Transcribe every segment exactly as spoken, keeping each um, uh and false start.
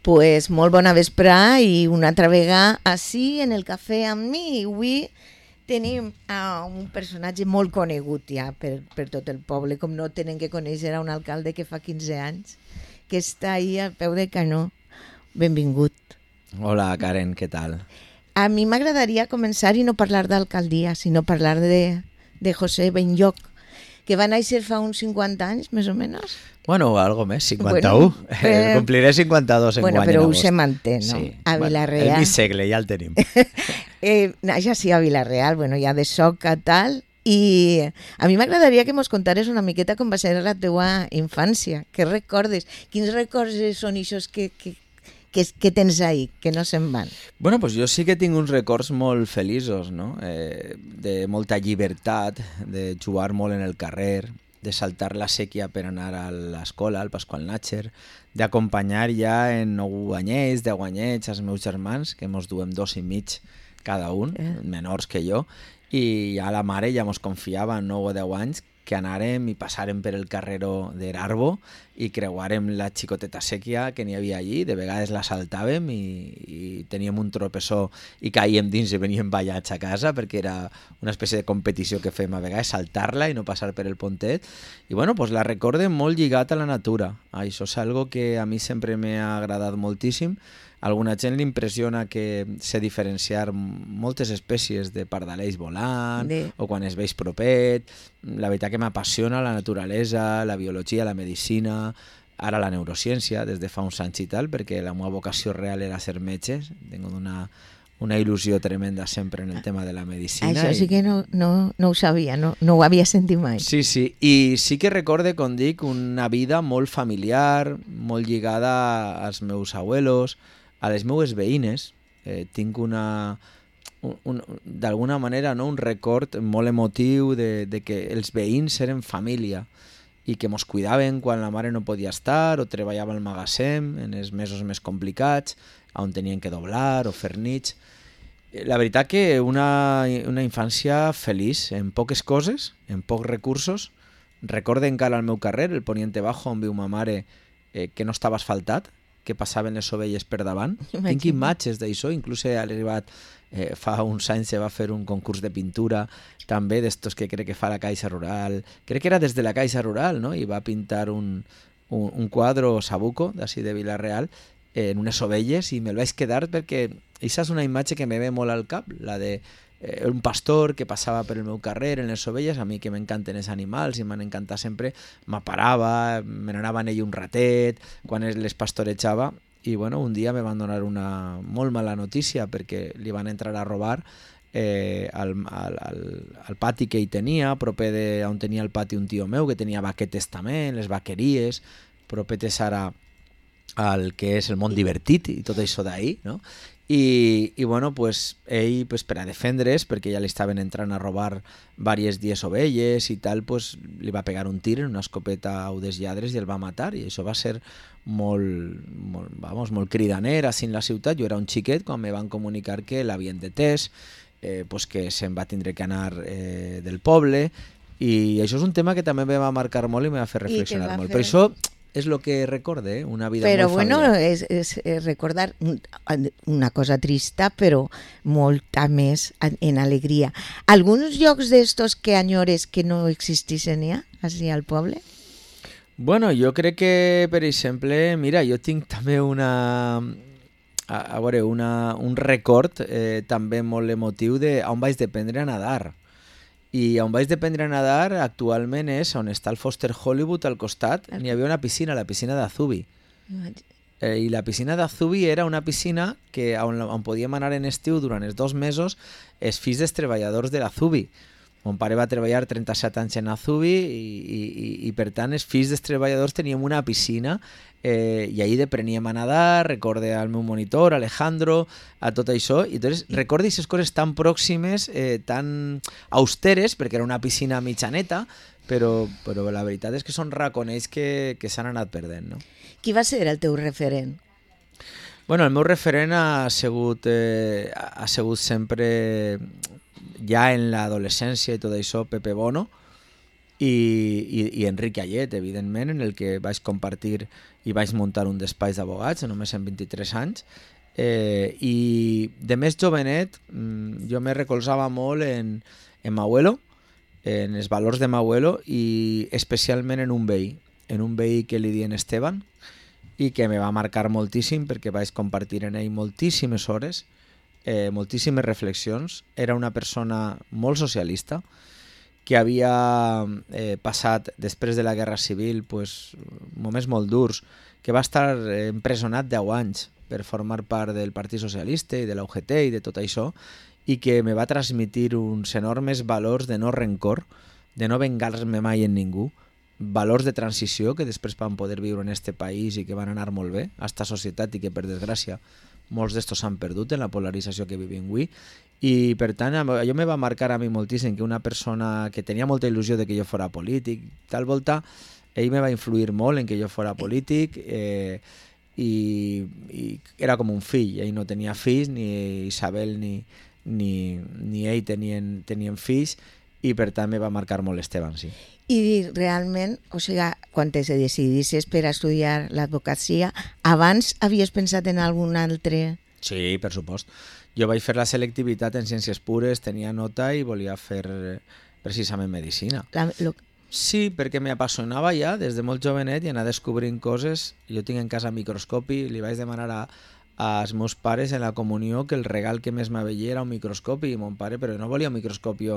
Pues molt bona vesprà i una altra vegada així en el cafè amb mi. Avui tenim a un personatge molt conegut ja per, per tot el poble, com no tenen que conèixer a un alcalde que fa quinze anys, que està ahí al peu del canó. Benvingut. Hola Karen, què tal? A mi m'agradaria començar i no parlar d'alcaldia, sinó parlar de, de José Benlloch, que va néixer fa uns cinquanta anys, més o menys. Bueno, algo més, cinquanta-u. Bueno, eh, Compliré cinquanta-dos en bueno, guany però en ho agost. se manté, no? Sí. A Bueno, Vila-real. el mig segle, ja el tenim. eh, Naix així a Vila-real, bueno, ja de soca, tal, i a mi m'agradaria que mos contares una miqueta com va ser la teua infància. Què recordes? Quins records són ixos que, que, que, que tens ahí, que no se'n van? Bueno, pues jo sí que tinc uns records molt feliços, no? Eh, de molta llibertat, de jugar molt en el carrer, de saltar la sèquia per anar a l'escola, al Pasqual Natxer, d'acompanyar ja en nou anyets, deu anyets als meus germans, que mos duem dos i mig cada un, eh. menors que jo, i ja la mare ja mos confiava en nou o deu anys que anàrem i passàrem per el carreró d'Erarbo i creuàrem la xicoteta sèquia que n'hi havia allí, de vegades la saltàvem i, i teníem un tropessó i caíem dins i veníem ballats a casa perquè era una espècie de competició que fem a vegades, saltar-la i no passar per el pontet. I bueno, pues la recorde molt lligat a la natura. Això és algo que a mi sempre m'ha agradat moltíssim. A alguna gent li impressiona que sé diferenciar moltes espècies de pardaleix volant de... o quan es veig propet. La veritat que m'apassiona la naturalesa, la biologia, la medicina, ara la neurociència des de fa uns anys i tal, perquè la meva vocació real era ser metge. Tengo una, una il·lusió tremenda sempre en el tema de la medicina. Això sí que no, no, no ho sabia, no, no ho havia sentit mai. Sí, sí, i sí que recorde, com dic, una vida molt familiar, molt lligada als meus abuelos, a les meues veïnes. Eh, tinc una, un, un, d'alguna manera, no, un record molt emotiu de, de que els veïns eren família i que mos cuidaven quan la mare no podia estar o treballava al magatzem en els mesos més complicats, on tenien que doblar o fer nits. La veritat que una, una infància feliç, en poques coses, en pocs recursos. Recorde encara al meu carrer, el Poniente Bajo, on viu ma mare, eh, que no estava asfaltat, que passaven les ovelles per davant. Imagina. Tinc imatges d'això, inclús he arribat, eh, fa uns anys se va fer un concurs de pintura, també d'estos que crec que fa la Caixa Rural, crec que era des de la Caixa Rural, no? I va pintar un, un, un quadre Sabuco, d'ací de Vila-real, eh, en unes ovelles, i me'l vaig quedar perquè aquesta és una imatge que me ve molt al cap, la de eh, un pastor que passava per el meu carrer en les ovelles. A mi que m'encanten els animals i m'han encantat sempre, m'aparava, me n'anava en ell un ratet quan les pastorejava, i bueno, un dia me van donar una molt mala notícia perquè li van entrar a robar eh, al, al, al, al pati que hi tenia, proper de on tenia el pati un tio meu que tenia vaquetes també, les vaqueries, propetes ara al que és el món divertit i tot això d'ahir, no? I, i bueno, pues, ell pues, per a defendre's, perquè ja li estaven entrant a robar diverses dies ovelles i tal, pues, li va pegar un tir en una escopeta a udes lladres i el va matar, i això va ser molt, molt, vamos, molt cridaner així en la ciutat. Jo era un xiquet quan me van comunicar que l'havien detès, eh, pues, que se'n va tindre que anar eh, del poble, i això és un tema que també me va marcar molt i me va fer reflexionar molt. Fer... Per això és el que recorde, eh? Una vida però molt bueno, familiar. és, és, és recordar una cosa trista, però molta més en alegria. Alguns llocs d'estos que anyores que no existissin ja, així al poble? Bueno, jo crec que, per exemple, mira, jo tinc també una... A, a veure, una, un record eh, també molt emotiu de on vaig aprendre a nadar. I on vaig aprendre a nadar actualment és on està el Foster Hollywood al costat. N'hi havia una piscina, la piscina d'Azubi. Eh, I la piscina d'Azubi era una piscina que on, on podíem anar en estiu durant els dos mesos els fills dels treballadors de l'Azubi. Mon pare va treballar trenta-set anys en Azubi i, i, i, i per tant els fills dels treballadors teníem una piscina eh, i allí apreníem a nadar. Recorde al meu monitor, Alejandro, a tot això, i entonces recorde aquestes coses tan pròximes, eh, tan austeres, perquè era una piscina mitjaneta, però, però la veritat és que són raconells que, que s'han anat perdent, no? Qui va ser el teu referent? Bueno, el meu referent ha sigut, eh, ha sigut sempre, ja en l'adolescència i tot això, Pepe Bono, i, i, i Enric Allet, evidentment, en el que vaig compartir i vaig muntar un despatx d'abogats, només en vint-i-tres anys, eh, i de més jovenet jo me recolzava molt en, en m'abuelo, en els valors de m'abuelo i especialment en un veí, en un veí que li dien Esteban, i que me va marcar moltíssim perquè vaig compartir en ell moltíssimes hores, eh, moltíssimes reflexions. Era una persona molt socialista que havia eh, passat després de la Guerra Civil pues, moments molt durs, que va estar empresonat deu anys per formar part del Partit Socialista i de la U G T i de tot això, i que me va transmitir uns enormes valors de no rencor, de no vengar-me mai en ningú, valors de transició que després van poder viure en este país i que van anar molt bé a esta societat i que per desgràcia molts d'estos s'han perdut en la polarització que vivim avui, i per tant allò me va marcar a mi moltíssim, que una persona que tenia molta il·lusió de que jo fora polític, tal volta ell me va influir molt en que jo fora polític, eh, i, i era com un fill, ell no tenia fills, ni Isabel ni, ni, ni ell tenien, tenien fills, i per tant me va marcar molt Esteban, sí. I realment, o sigui, quan te decidissis per a estudiar l'advocacia, abans havies pensat en algun altre? Sí, per supost. Jo vaig fer la selectivitat en ciències pures, tenia nota i volia fer precisament medicina. La, lo... Sí, perquè m'apassionava ja des de molt jovenet i anar descobrint coses. Jo tinc en casa microscopi, li vaig demanar a als meus pares en la comunió que el regal que més m'aveia era un microscopi, i mon pare, però no volia un microscopi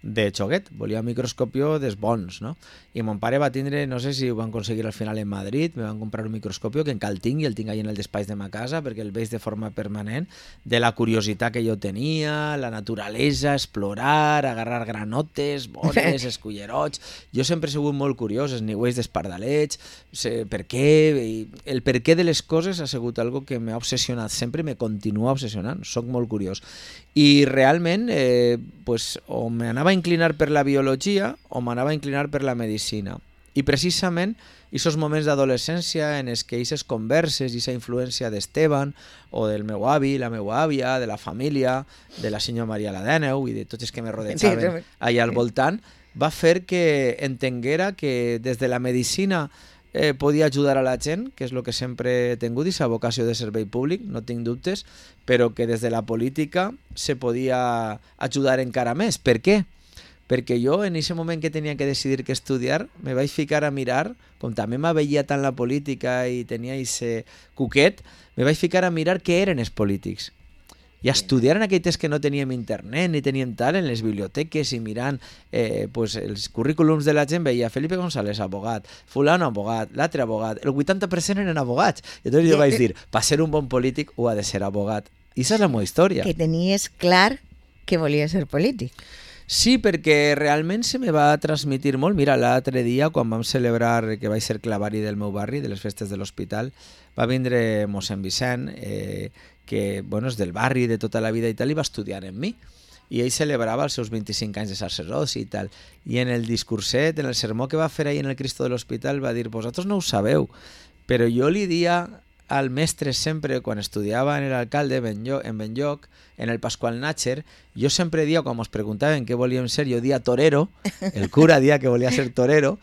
de xoguet, volia un microscopi dels bons, no? I mon pare va tindre, no sé si ho van aconseguir al final en Madrid, me van comprar un microscopi que encara el tinc i el tinc allà en el despatx de ma casa perquè el veig de forma permanent, de la curiositat que jo tenia, la naturalesa, explorar, agarrar granotes, bones, escullerots. Jo sempre he sigut molt curiós, els niuells d'espardalets, per què, el per què de les coses ha sigut algo que m'ha obsessionat sempre, me continua obsessionant, soc molt curiós. I realment eh, pues, o m'anava a inclinar per la biologia o m'anava a inclinar per la medicina. I precisament aquests moments d'adolescència en els que aquestes converses i aquesta influència d'Esteban o del meu avi, la meva àvia, de la família, de la senyora Maria Ladeneu i de tots els que me rodejaven allà al voltant, va fer que entenguera que des de la medicina Eh, podia ajudar a la gent, que és el que sempre he tingut, aquesta vocació de servei públic, no tinc dubtes, però que des de la política se podia ajudar encara més. Per què? Perquè jo en aquest moment que tenia que decidir què estudiar me vaig ficar a mirar, com també m'aveia tant la política i tenia aquest cuquet, me vaig ficar a mirar què eren els polítics. I a estudiar en aquell temps que no teníem internet ni teníem tal, en les biblioteques i mirant eh, pues, els currículums de la gent, veia Felipe González, abogat, fulano, abogat, l'altre abogat, el vuitanta per cent eren abogats. I llavors jo vaig dir, per ser un bon polític ho ha de ser abogat. I aquesta és la meva història. Que tenies clar que volia ser polític. Sí, perquè realment se me va transmitir molt. Mira, l'altre dia, quan vam celebrar que vaig ser clavari del meu barri, de les festes de l'hospital, va vindre mossèn Vicent, eh, que bueno, és del barri de tota la vida i tal, i va estudiar amb mi. I ell celebrava els seus vint-i-cinc anys de sacerdoci i tal. I en el discurset, en el sermó que va fer ahir en el Cristo de l'Hospital, va dir, vosaltres no ho sabeu, però jo li dia al mestre sempre, quan estudiava en l'alcalde en Benlloc, en el Pasqual Natcher, jo sempre dia, quan ens preguntaven què volíem ser, jo dia torero, el cura dia que volia ser torero,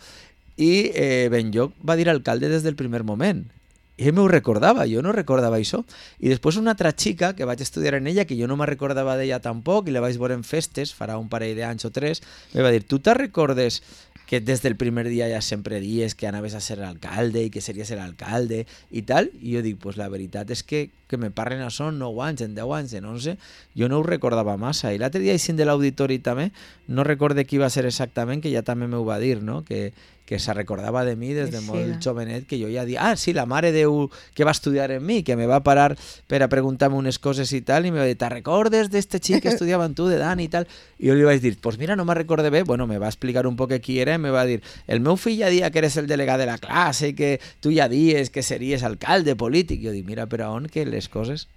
i eh, Benlloc va dir alcalde des del primer moment. I ell m'ho recordava, jo no recordava això. I després una altra xica que vaig estudiar en ella, que jo no me recordava d'ella tampoc, i la vaig veure en festes, farà un parell d'anys o tres, me va dir, tu te recordes que des del primer dia ja sempre dies que anaves a ser alcalde i que series l'alcalde i tal? I jo dic, pues la veritat és que que me parlen això en nou anys, en deu anys, en onze, jo no ho recordava massa. I l'altre dia, així de l'auditori també, no recorde qui va ser exactament, que ja també m'ho va dir, no? que que se recordava de mi des de molt jovenet, que jo ja dia, ah, sí, la mare Déu que va estudiar en mi, que me va parar per a preguntar-me unes coses i tal, i me va dir, te recordes d'este xic que estudiava amb tu, de Dan i tal? I jo li vaig dir, pues mira, no me recorde bé. Bueno, me va explicar un poc qui era i me va dir, el meu fill ja dia que eres el delegat de la classe i que tu ja dies que series alcalde polític. Jo dic, mira, però on que les coses...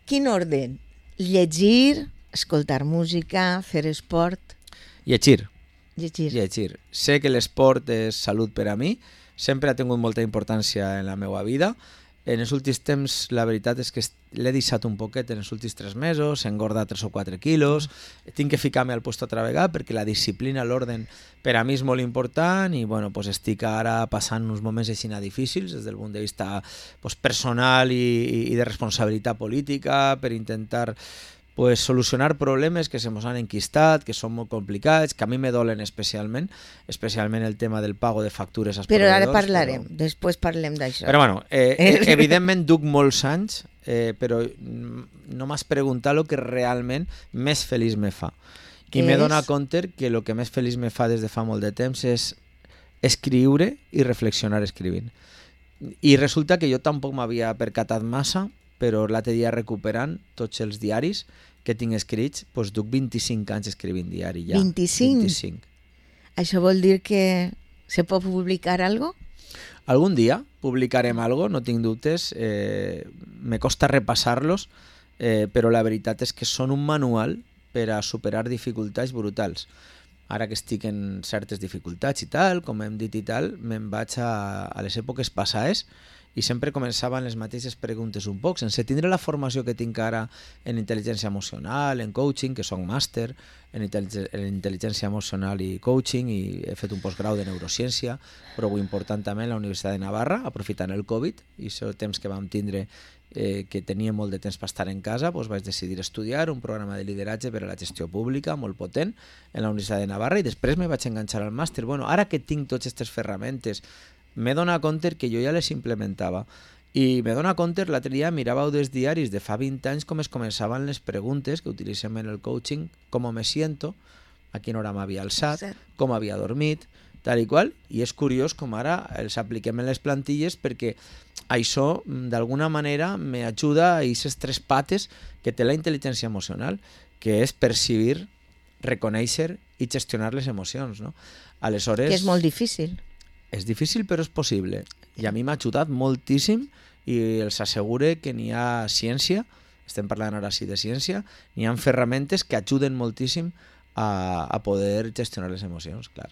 Quin orden? Llegir, escoltar música, fer esport... Llegir. Llegir. Llegir. Sé que l'esport és salut per a mi, sempre ha tingut molta importància en la meva vida. En els últims temps, la veritat és que l'he deixat un poquet en els últims tres mesos, he engordat tres o quatre quilos, tinc que ficar-me al puesto altra vegada perquè la disciplina, l'orden, per a mi és molt important i bueno, pues estic ara passant uns moments així difícils des del punt de vista pues, personal i, i de responsabilitat política per intentar pues, solucionar problemes que se mos han enquistat, que són molt complicats, que a mi me dolen especialment, especialment el tema del pago de factures als Però proveïdors. ara parlarem, però... després parlem d'això. Però bueno, eh, eh, evidentment duc molts anys, eh, però no m'has preguntat el que realment més feliç me fa. I m'he donat compte que el que més feliç me fa des de fa molt de temps és escriure i reflexionar escrivint. I resulta que jo tampoc m'havia percatat massa, però l'altre dia recuperant tots els diaris que tinc escrits, doncs duc vint-i-cinc anys escrivint diari ja. vint-i-cinc? vint-i-cinc. Això vol dir que se pot publicar algo? Algun dia publicarem algo, no tinc dubtes. Eh, me costa repassar-los, eh, però la veritat és que són un manual per a superar dificultats brutals. Ara que estic en certes dificultats i tal, com hem dit i tal, me'n vaig a, a les èpoques passades i sempre començaven les mateixes preguntes un poc, sense tindre la formació que tinc ara en intel·ligència emocional, en coaching, que soc màster en, intel·lig en intel·ligència emocional i coaching, i he fet un postgrau de neurociència, però ho important també en la Universitat de Navarra, aprofitant el Covid, i el temps que vam tindre eh, que tenia molt de temps per estar en casa, doncs vaig decidir estudiar un programa de lideratge per a la gestió pública, molt potent, en la Universitat de Navarra, i després me vaig enganxar al màster. Bueno, ara que tinc totes aquestes ferramentes, m'he donat compte que jo ja les implementava i m'he donat compte, l'altre dia miràveu dels diaris de fa vint anys com es començaven les preguntes que utilitzem en el coaching, com me siento, a quina hora m'havia alçat, com havia dormit, tal i qual, i és curiós com ara els apliquem en les plantilles perquè això d'alguna manera m'ajuda a aquestes tres pates que té la intel·ligència emocional, que és percibir, reconèixer i gestionar les emocions, no? Aleshores, que és molt difícil. És difícil però és possible i a mi m'ha ajudat moltíssim i els assegure que n'hi ha ciència, estem parlant ara sí de ciència, n'hi ha ferramentes que ajuden moltíssim a, a poder gestionar les emocions, clar.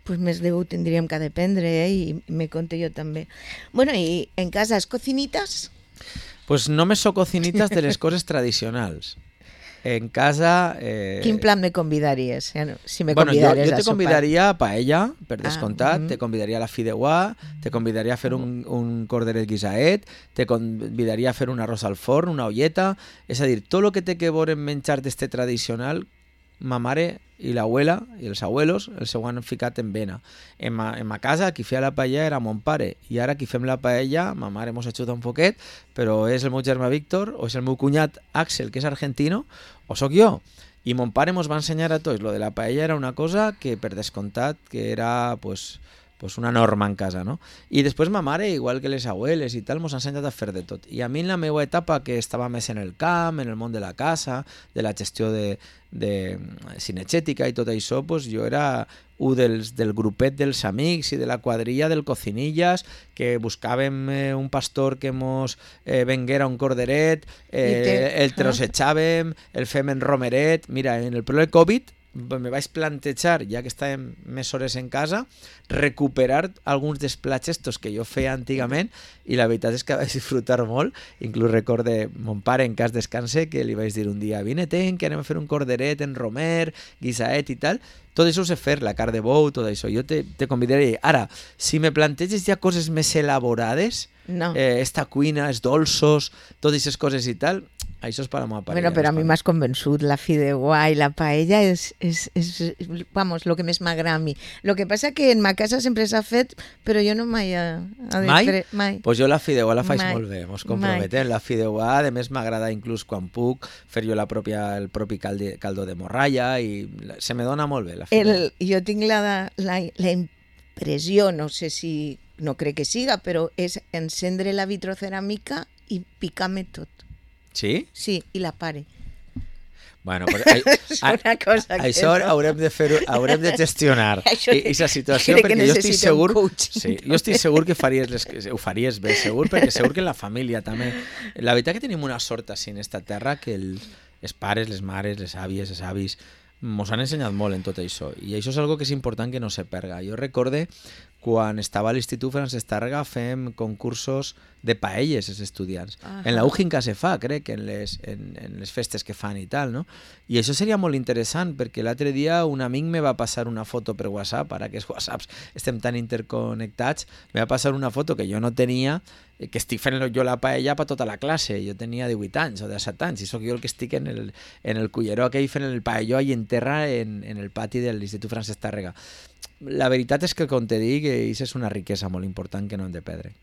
Pues més de ho tindríem que dependre, eh? I me conté jo també. Bueno, i en casa, ¿es cocinitas? Pues no me so cocinitas de les coses tradicionals. En casa... Eh... Quin plan me convidaries? Si me bueno, convidaries jo, jo te convidaria a paella, per descomptat, ah, uh -huh. te convidaria a la fideuà, te convidaria a fer un, un corderet guisaet, te convidaria a fer un arròs al forn, una olleta, és a dir, tot el que té que veure en menjar d'este tradicional, ma mare i l'abuela i els abuelos els ho han ficat en vena. En ma, en ma casa qui feia la paella era mon pare i ara qui fem la paella, ma mare mos ajuda un poquet, però és el meu germà Víctor o és el meu cunyat Axel, que és argentino, o sóc jo. I mon pare mos va ensenyar a tots. Lo de la paella era una cosa que per descomptat que era pues, pues una norma en casa, no? I després ma mare, igual que les abueles i tal, mos ha ensenyat a fer de tot. I a mi en la meva etapa, que estava més en el camp, en el món de la casa, de la gestió de, de cinegètica i tot això, pues jo era un dels, del grupet dels amics i de la quadrilla del Cocinillas, que buscàvem eh, un pastor que mos eh, venguera un corderet, eh, te... el trossejàvem, el fem en romeret. Mira, en el problema del Covid me vaig plantejar, ja que estàvem més hores en casa, recuperar alguns dels plats estos que jo feia antigament i la veritat és que vaig disfrutar molt. Inclús recorde mon pare, en cas descanse, que li vaig dir un dia, vine-te'n, que anem a fer un corderet en romer, guisaet i tal. Tot això ho sé fer, la carn de bou, tot això. Jo te, te convidaré. Ara, si me planteges ja coses més elaborades, no. eh, esta cuina, els dolços, totes aquestes coses i tal, això és per a la meva parella. Bueno, però a mi m'has convençut, la fideuà i la paella és, és, és, vamos, lo que més m'agrada a mi. Lo que passa que en ma casa sempre s'ha fet, però jo no mai... A, a mai? Després, mai? Pues jo la fideuà la faig mai. molt bé, mos comprometem. La fideuà, a més, m'agrada inclús quan puc fer jo la pròpia, el propi calde, caldo de morralla i se me dona molt bé la fideuà. El, jo tinc la, la, la impressió, no sé si, no crec que siga, però és encendre la vitroceràmica i picar-me tot. Sí? Sí, i la pare. Bueno, però, a, és una cosa que això no. haurem de fer, haurem de gestionar aquesta situació, crec que perquè jo estic segur, coaching, sí, no? jo estic segur que faries les, ho faries bé, segur, perquè segur que en la família també. La veritat que tenim una sort així en esta terra que el, els pares, les mares, les àvies, els avis mos han ensenyat molt en tot això i això és algo que és important que no se perga. Jo recorde quan estava a l'Institut Francesc Tàrrega fem concursos de paelles els estudiants. Ajá. En la U J I N K se fa, crec, en les, en, en les festes que fan i tal, no? I això seria molt interessant, perquè l'altre dia un amic me va passar una foto per WhatsApp, ara que els WhatsApps estem tan interconnectats, me va passar una foto que jo no tenia, que estic fent jo la paella per tota la classe. Jo tenia divuit anys o disset anys i sóc jo el que estic en el, en el culleró aquell fent el paelló allà en terra en, en el pati de l'Institut Francesc Tàrrega. La veritat és que, com te dic, això és una riquesa molt important que no hem de perdre.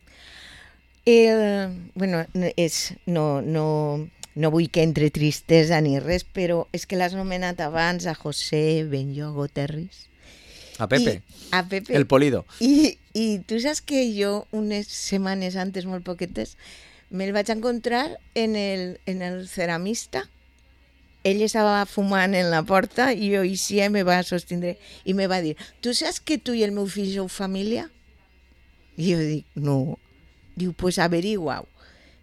El, bueno, és, no, no, no vull que entre tristesa ni res, però és que l'has nomenat abans a José Benlloc Terris. A Pepe, I, a Pepe. El Polido. I, I tu saps que jo unes setmanes antes, molt poquetes, me'l vaig encontrar en el, en el ceramista. Ell estava fumant en la porta i jo eixia i me va sostindre i me va dir, tu saps que tu i el meu fill sou família? I jo dic, no. Diu, pues averigua-ho.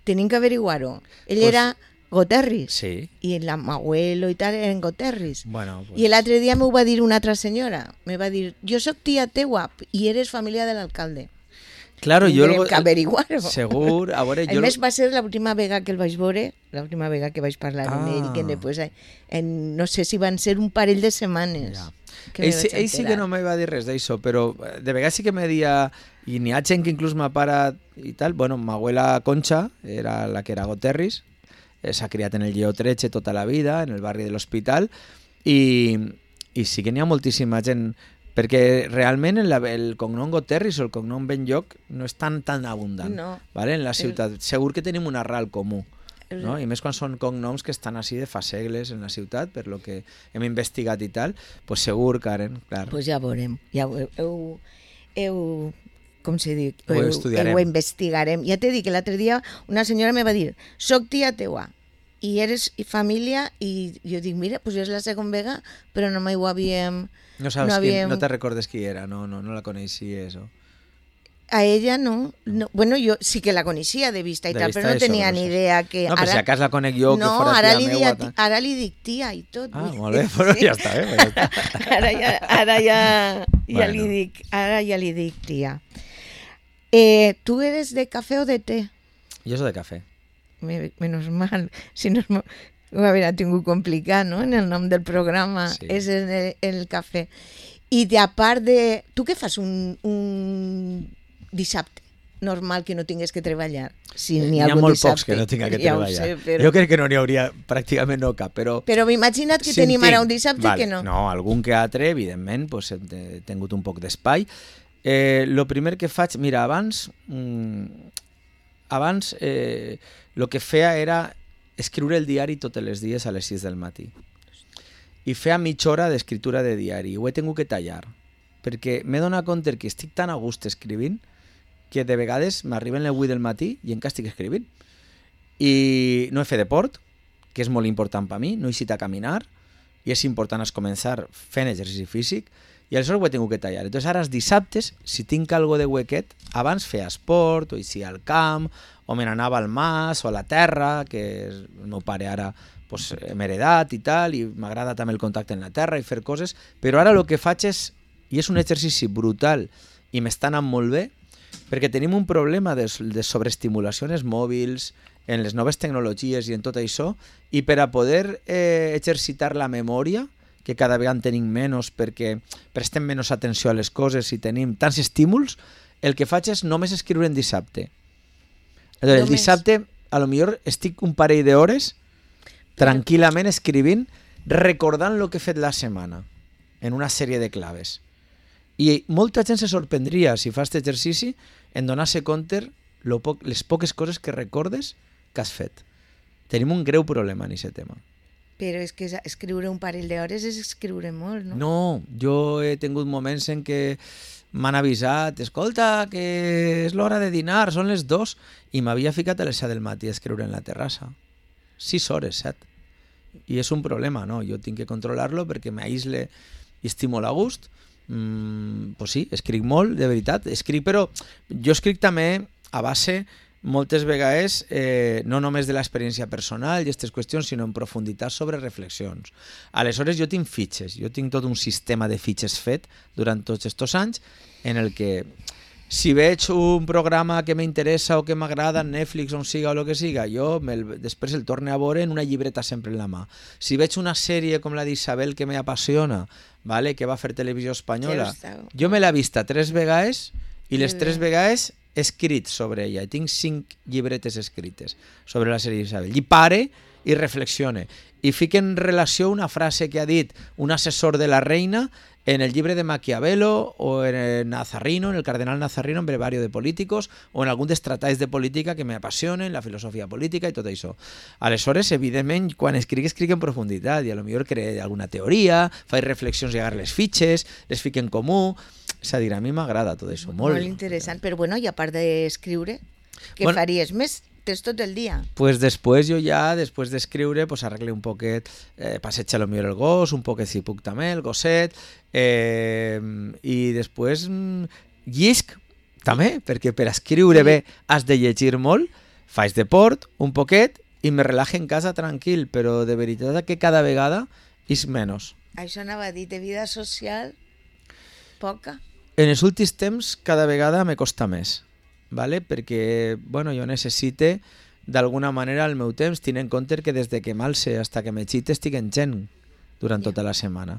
Tenim que averiguar-ho. Ell pues, era Goterris. Sí. I el abuelo i tal eren Goterris. Bueno, pues... I l'altre dia m'ho va dir una altra senyora. Me va dir, jo sóc tia teua i eres família de l'alcalde. Claro, jo Tenim que averiguar-ho. Segur, a veure... A jo... més, va ser l'última vegada que el vaig veure, l'última vegada que vaig parlar ah. amb ell, que després, en, no sé si van ser un parell de setmanes. Ja. Ell, sí, ell sí que no me va dir res d'això, però de vegades sí que me dia, i n'hi ha gent que inclús m'ha parat i tal, bueno, ma abuela Concha era la que era Goterris, s'ha criat en el Lleó tretze tota la vida, en el barri de l'Hospital, i, i sí que n'hi ha moltíssima gent, perquè realment el, el cognom Goterris o el cognom Benlloc no és tan tan abundant, no. ¿vale? En la ciutat. El... Segur que tenim un arrel comú. No? I més quan són cognoms que estan així de fa segles en la ciutat, per lo que hem investigat i tal, pues segur, Karen, clar. Pues ja veurem, ja ho, heu, heu, com se diu? Ho heu, estudiarem. Ho investigarem. Ja t'he dit que l'altre dia una senyora me va dir, soc tia teua, i eres família, i jo dic, mira, pues és la segona vegada, però no mai ho havíem... No saps no, havíem... qui, no te recordes qui era, no, no, no la coneixies, o... A ella no. no. Bueno, jo sí que la coneixia de vista i de tal, vista però no tenia eso, ni eso. idea que... No, però ara... si a cas la conec jo, no, que fora ara tia li meua... Dia, ara li dic tia i tot. Ah, molt bé, però sí. Ja està, eh? Ja està. Ara ja, ara ja, ja bueno. li dic, ara ja li dic tia. Eh, ¿Tú eres de café o de té? Jo soy de café. Me, menos mal, si no ho hauria tingut complicat, no?, en el nom del programa, sí. És en el, el cafè. I de a part de... Tu què fas un, un dissabte normal que no tingues que treballar? Si n'hi ha, ha molt dissabte, pocs que no tinga que ja treballar. Sé, però... Jo crec que no n'hi hauria, pràcticament no cap, però... Però m'imagina't que si tenim tinc, ara un dissabte vale, que no. No, algun que altre, evidentment, pues, he tingut un poc d'espai. Eh, lo primer que faig... Mira, abans... Mmm, abans eh, lo que feia era escriure el diari tots els dies a les sis del matí. I feia mitja hora d'escriptura de diari. Ho he tingut que tallar, perquè m'he donat compte que estic tan a gust escrivint que de vegades m'arriben les vuit del matí i encara estic escrivint. I no he fet deport, que és molt important per mi, no he eixit a caminar, i és important es començar fent exercici físic, i aleshores ho he tingut que tallar. Entonces ara els dissabtes, si tinc algo de huequet, abans feia esport, o eixia al camp, o me n'anava al mas, o a la terra, que el meu pare ara pues, hem heredat i tal, i m'agrada també el contacte en la terra i fer coses, però ara el que faig és, i és un exercici brutal, i m'està anant molt bé, perquè tenim un problema de, de sobreestimulació en els mòbils, en les noves tecnologies i en tot això, i per a poder eh, exercitar la memòria, que cada vegada en tenim menys perquè prestem menys atenció a les coses i tenim tants estímuls, el que faig és només escriure en dissabte. El només. Dissabte, a lo millor estic un parell d'hores tranquil·lament escrivint, recordant el que he fet la setmana, en una sèrie de claves. I molta gent se sorprendria, si fas aquest exercici, en donar-se compte lo poc, les poques coses que recordes que has fet. Tenim un greu problema en aquest tema. Però és que escriure un parell d'hores és escriure molt, no? No, jo he tingut moments en què m'han avisat, escolta, que és l'hora de dinar, són les dos, i m'havia ficat a les set del matí a escriure en la terrassa. Sis hores, set. I és un problema, no? Jo tinc que controlar-lo perquè m'aïsle i estic molt a gust. Mm, pues sí, escric molt, de veritat. Escric, però jo escric també a base moltes vegades eh, no només de l'experiència personal i aquestes qüestions, sinó en profunditat sobre reflexions. Aleshores, jo tinc fitxes, jo tinc tot un sistema de fitxes fet durant tots aquests anys en el que si veig un programa que m'interessa o que m'agrada en Netflix on siga o el que siga, jo el, després el torne a veure en una llibreta sempre en la mà. Si veig una sèrie com la d'Isabel que m'apassiona, vale, que va fer Televisió Espanyola, jo me l'he vista tres vegades i les tres vegades he escrit sobre ella. Tinc cinc llibretes escrites sobre la sèrie d'Isabel. I pare i reflexione. I fica en relació una frase que ha dit un assessor de la reina en el llibre de Maquiavelo o en el Nazarrino, en el cardenal Nazarrino, en Brevario de Políticos, o en algun dels tractats de política que m'apassionen, la filosofia política i tot això. Aleshores, evidentment, quan escric, escric en profunditat i a lo millor creé alguna teoria, faig reflexions i agarro les fitxes, les fico en comú. És a dir, a mi m'agrada tot això. Molt, molt interessant, però bueno, i a part d'escriure, què bueno, faries més? Tens tot el dia. Pues després jo ja, després d'escriure, pues arregle un poquet, eh, passeja lo millor el gos, un poquet si puc també, el gosset, eh, i després mm, llisc també, perquè per escriure bé has de llegir molt, faig deport un poquet i me relaje en casa tranquil, però de veritat que cada vegada és menys. Això anava a dir, de vida social, poca. En els últims temps cada vegada me costa més. Vale? Perquè bueno, jo necessite d'alguna manera el meu temps, tenint en compte que des de que m'alce fins que m'excite estic en gent durant yeah. tota la setmana.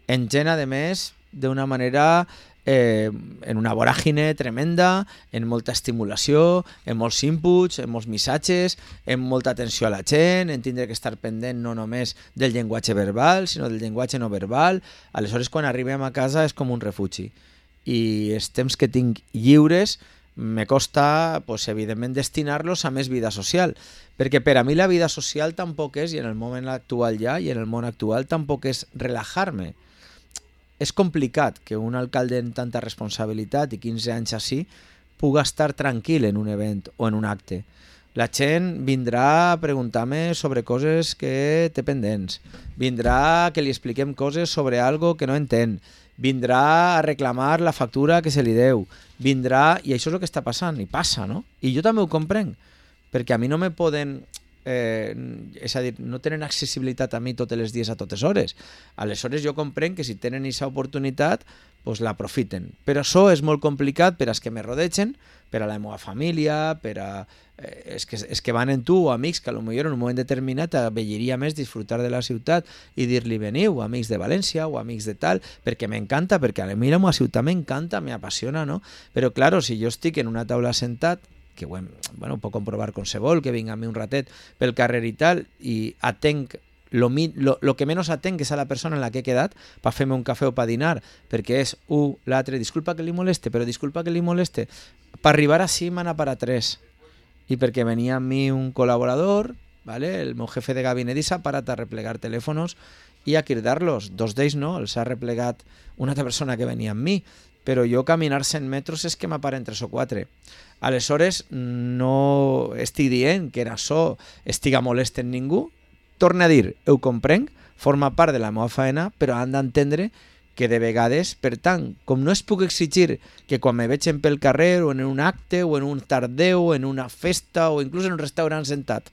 En gent, a més, d'una manera eh, en una voràgine tremenda, en molta estimulació, en molts inputs, en molts missatges, en molta atenció a la gent, en tindre que estar pendent no només del llenguatge verbal, sinó del llenguatge no verbal. Aleshores, quan arribem a casa és com un refugi. I els temps que tinc lliures me costa, pues, evidentment, destinar-los a més vida social, perquè per a mi la vida social tampoc és, i en el moment actual ja, i en el món actual tampoc és relajar-me. És complicat que un alcalde amb tanta responsabilitat i quinze anys així puga estar tranquil en un event o en un acte. La gent vindrà a preguntar-me sobre coses que té pendents, vindrà que li expliquem coses sobre algo que no entén, vindrà a reclamar la factura que se li deu, vindrà, i això és el que està passant, i passa, no? I jo també ho comprenc, perquè a mi no me poden, eh, és a dir, no tenen accessibilitat a mi tots els dies a totes hores. Aleshores jo comprenc que si tenen aquesta oportunitat, pues l'aprofiten. Però això és molt complicat per als que me rodegen, per a la meva família, per a... Eh, és, que, és que van en tu, o amics que potser en un moment determinat vetlleria més disfrutar de la ciutat i dir-li veniu, amics de València o amics de tal, perquè m'encanta, perquè a mi la meva ciutat m'encanta, m'apassiona, no? Però, claro, si jo estic en una taula sentat, que ho, hem, bueno, ho puc comprovar qualsevol, que vinga a mi un ratet pel carrer i tal, i atenc Lo, lo, lo que menys atenc és a la persona en la que he quedat per fer-me un cafè o per dinar, perquè és un, l'altre, disculpa que li moleste, però disculpa que li moleste, per arribar així m'han a parar tres, i perquè venia amb mi un col·laborador, ¿vale? El meu jefe de gabinet, i s'ha parat a replegar telèfons i a cridar-los, dos d'ells no, els ha replegat una altra persona que venia amb mi, però jo caminar cent metres és que m'aparen tres o quatre. Aleshores no estic dient que en això estiga molest en ningú. Torna a dir, ho comprenc, forma part de la meva feina, però han d'entendre que de vegades, per tant, com no es puc exigir que quan me vegin pel carrer o en un acte o en un tardeu o en una festa o inclús en un restaurant sentat,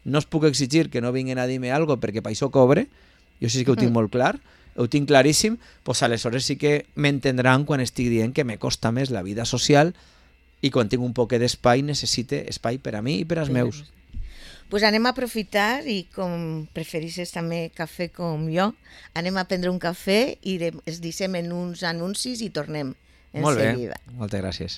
no es puc exigir que no vinguin a dir-me alguna cosa perquè per això cobre, jo sí que ho tinc molt clar, ho tinc claríssim, doncs aleshores sí que m'entendran quan estic dient que me costa més la vida social i quan tinc un poquet d'espai necessite espai per a mi i per als meus. Pues anem a aprofitar i com preferisses també cafè com jo, anem a prendre un cafè i es deixem en uns anuncis i tornem en Molt seguida. bé, moltes gràcies.